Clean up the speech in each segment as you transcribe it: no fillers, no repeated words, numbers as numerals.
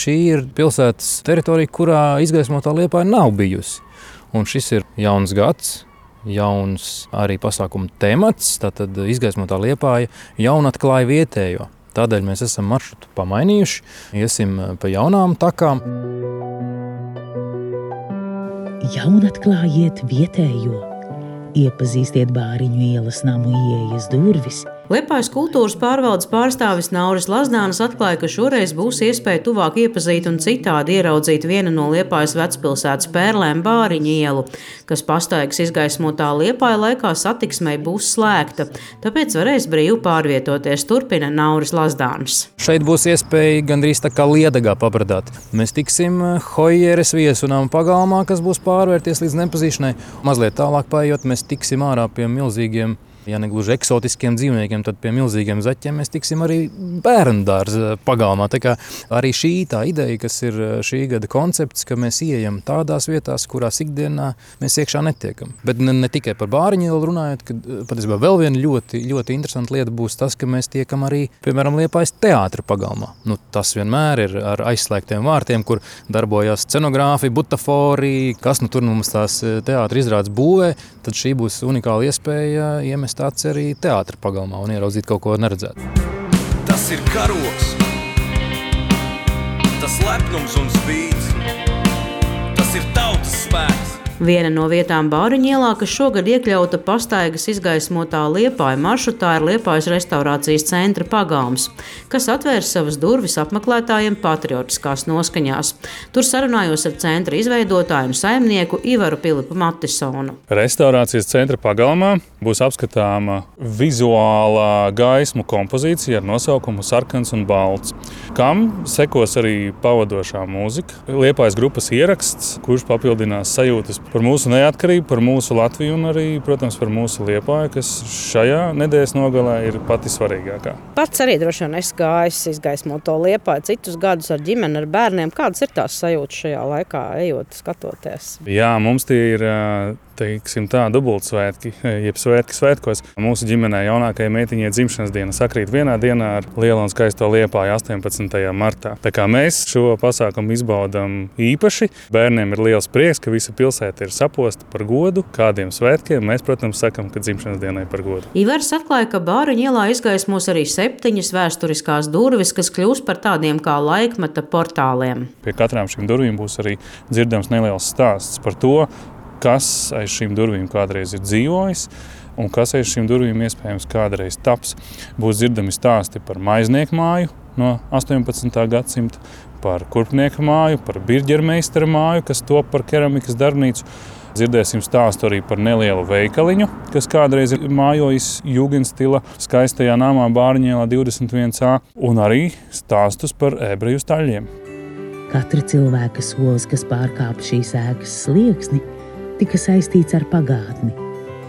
šī ir pilsētas teritorija, kurā izgaismotā Liepāja nav bijusi. Un šis ir jauns gads, jauns arī pasākuma temats, tātad izgaismotā Liepāja jaunatklāja vietējo. Tādēļ mēs esam maršrutu pamainījuši, iesim pa jaunām takām. Jaunatklājiet vietējo, iepazīstiet Bāriņu ielas namu ieejas durvis. Liepājas kultūras pārvaldes pārstāvis Nauris Lazdānis atklāja, ka šoreiz būs iespēja tuvāk iepazīt un citādi ieraudzīt vienu no Liepājas vecpilsētas pērlēm Bāriņu ielu, kas pastaigas izgaismotā Liepāja laikā satiksmei būs slēgta, tāpēc varēs brīvi pārvietoties, turpina Nauris Lazdānis. Šeit būs iespēja gandrīz tā kā Liedagā pabradāt. Mēs tiksim Hojeres viesunām pagalmā, kas būs pārvērties līdz nepazīšanai. Mazliet tālāk paejot, mēs tiksim ārā pie milzīgiem, ja ne gluži eksotiskiem dzīvniekiem, tad pie milzīgiem zaķiem mēs tiksim arī bērndārza pagalmā. Tā kā arī šī tā ideja, kas ir šī gada koncepts, ka mēs ieejam tādās vietās, kurās ikdienā mēs iekšā netiekam. Bet ne tikai par Bāriņu ielu runājot, kad patiesībā vēl viena ļoti, ļoti interesanta lieta būs tas, ka mēs tiekam arī, piemēram, Liepājas teātra pagalmā. Tas vienmēr ir ar aizslēgtiem vārtiem, kur darbojās scenogrāfi, butafori, kas tur mums tās teātra izrādes būvē, tad šī būs unikāla iespēja iemest tāds arī teātra pagalmā un ieraudzīt kaut ko neredzētu. Tas ir karogs, tas lepnums un spīds, tas ir tautas spēks. Viena no vietām Bāriņu ielā, kas šogad iekļauta pastaigas izgaismotā Liepāja maršrutā, ir Liepājas restaurācijas centra pagalms, kas atvērs savas durvis apmeklētājiem patriotiskās noskaņās. Tur sarunājos ar centra izveidotāju un saimnieku Ivaru Pilipu Matisonu. Restaurācijas centra pagalmā būs apskatāma vizuālā gaismu kompozīcija ar nosaukumu Sarkans un balts, kam sekos arī pavadošā mūzika. Liepājas grupas ieraksts, kurš papildinās sajūtas par mūsu neatkarību, par mūsu Latviju un arī, protams, par mūsu Liepāju, kas šajā nedēļas nogalē ir pati svarīgākā. Pats arī droši vien esi gājis izgaismoto Liepāju citus gadus ar ģimeni, ar bērniem. Kādas ir tās sajūtas šajā laikā, ejot, skatoties? Jā, mums tie ir teiksim tā, dubultsvētki, jeb svētki svētkos. Mūsu ģimenē jaunākajai meitiņai dzimšanas diena sakrīt vienā dienā ar lielo un skaisto Liepāju 18. martā. Tā kā mēs šo pasākumu izbaudam īpaši, bērniem ir liels prieks, ka visa pilsēta ir saposta par godu. Kādiem svētkiem mēs, protams, sakam, ka dzimšanas dienai par godu. Ivars atklāja, ka Bāriņu ielā izgaismos arī 7 vēsturiskās durvis, kas kļūs par tādiem kā laikmeta portāliem. Pie katrām šīm durvīm būs arī dzirdams neliels stāsts par to, kas aiz šīm durvīm kādreiz ir dzīvojis un kas aiz šīm durvīm iespējams kādreiz taps. Būs dzirdami stāsti par maiznieku māju no 18. gadsimta, par kurpnieku māju, par birģermeistara māju, kas top par keramikas darbnīcu. Dzirdēsim stāstu arī par nelielu veikaliņu, kas kādreiz ir mājojis jūgenstila skaistajā namā Bāriņu ielā 21A, un arī stāstus par ebreju staļļiem. Katra cilvēka solis, kas pārkāpa šīs ēkas slieksni, tika saistīts ar pagātni,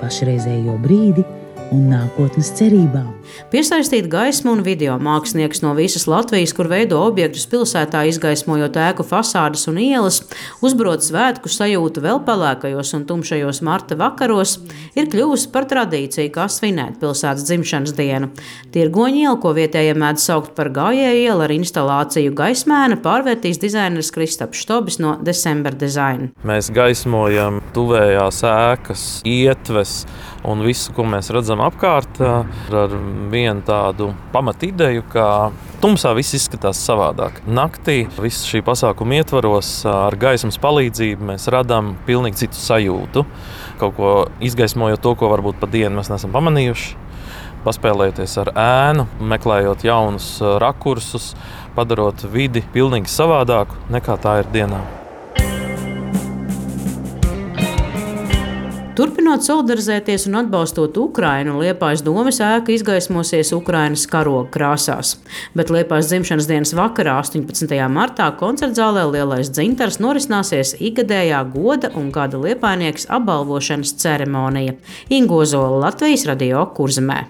pašreizējo brīdi un nākotnes cerībām. Piesaistīt gaismu un video mākslinieks no visas Latvijas, kur veido objektus pilsētā, izgaismojot ēku fasādes un ielas, uzbrot svētku sajūtu vēl pelēkajos un tumšajos marta vakaros, ir kļuvusi par tradīciju, kā svinēt pilsētas dzimšanas dienu. Tirgoņu ielu, ko vietējie mēdz saukt par gājēju ielu ar instalāciju Gaismēna, pārvērtīs dizaineris Kristaps Štobis no December Design. Mēs gaismojam tuvējās ēkas, ietves un visu, ko mēs redzam apkārt, ar vienu tādu pamatideju, ka tumsā viss izskatās savādāk. Naktī visu šī pasākuma ietvaros ar gaismas palīdzību mēs radām pilnīgi citu sajūtu. Kaut ko izgaismojot to, ko varbūt pa dienu mēs neesam pamanījuši. Paspēlēties ar ēnu, meklējot jaunus rakursus, padarot vidi pilnīgi savādāku nekā tā ir dienā. Turpinot solidarizēties un atbalstot Ukrainu, Liepājas domes ēka izgaismosies Ukrainas karoga krāsās. Bet Liepājas dzimšanas dienas vakarā, 18. martā, koncertzālē Lielais dzintars norisināsies ikgadējā goda un gada liepājnieks apbalvošanas ceremonija. Ingo Zola, Latvijas radio Kurzemē.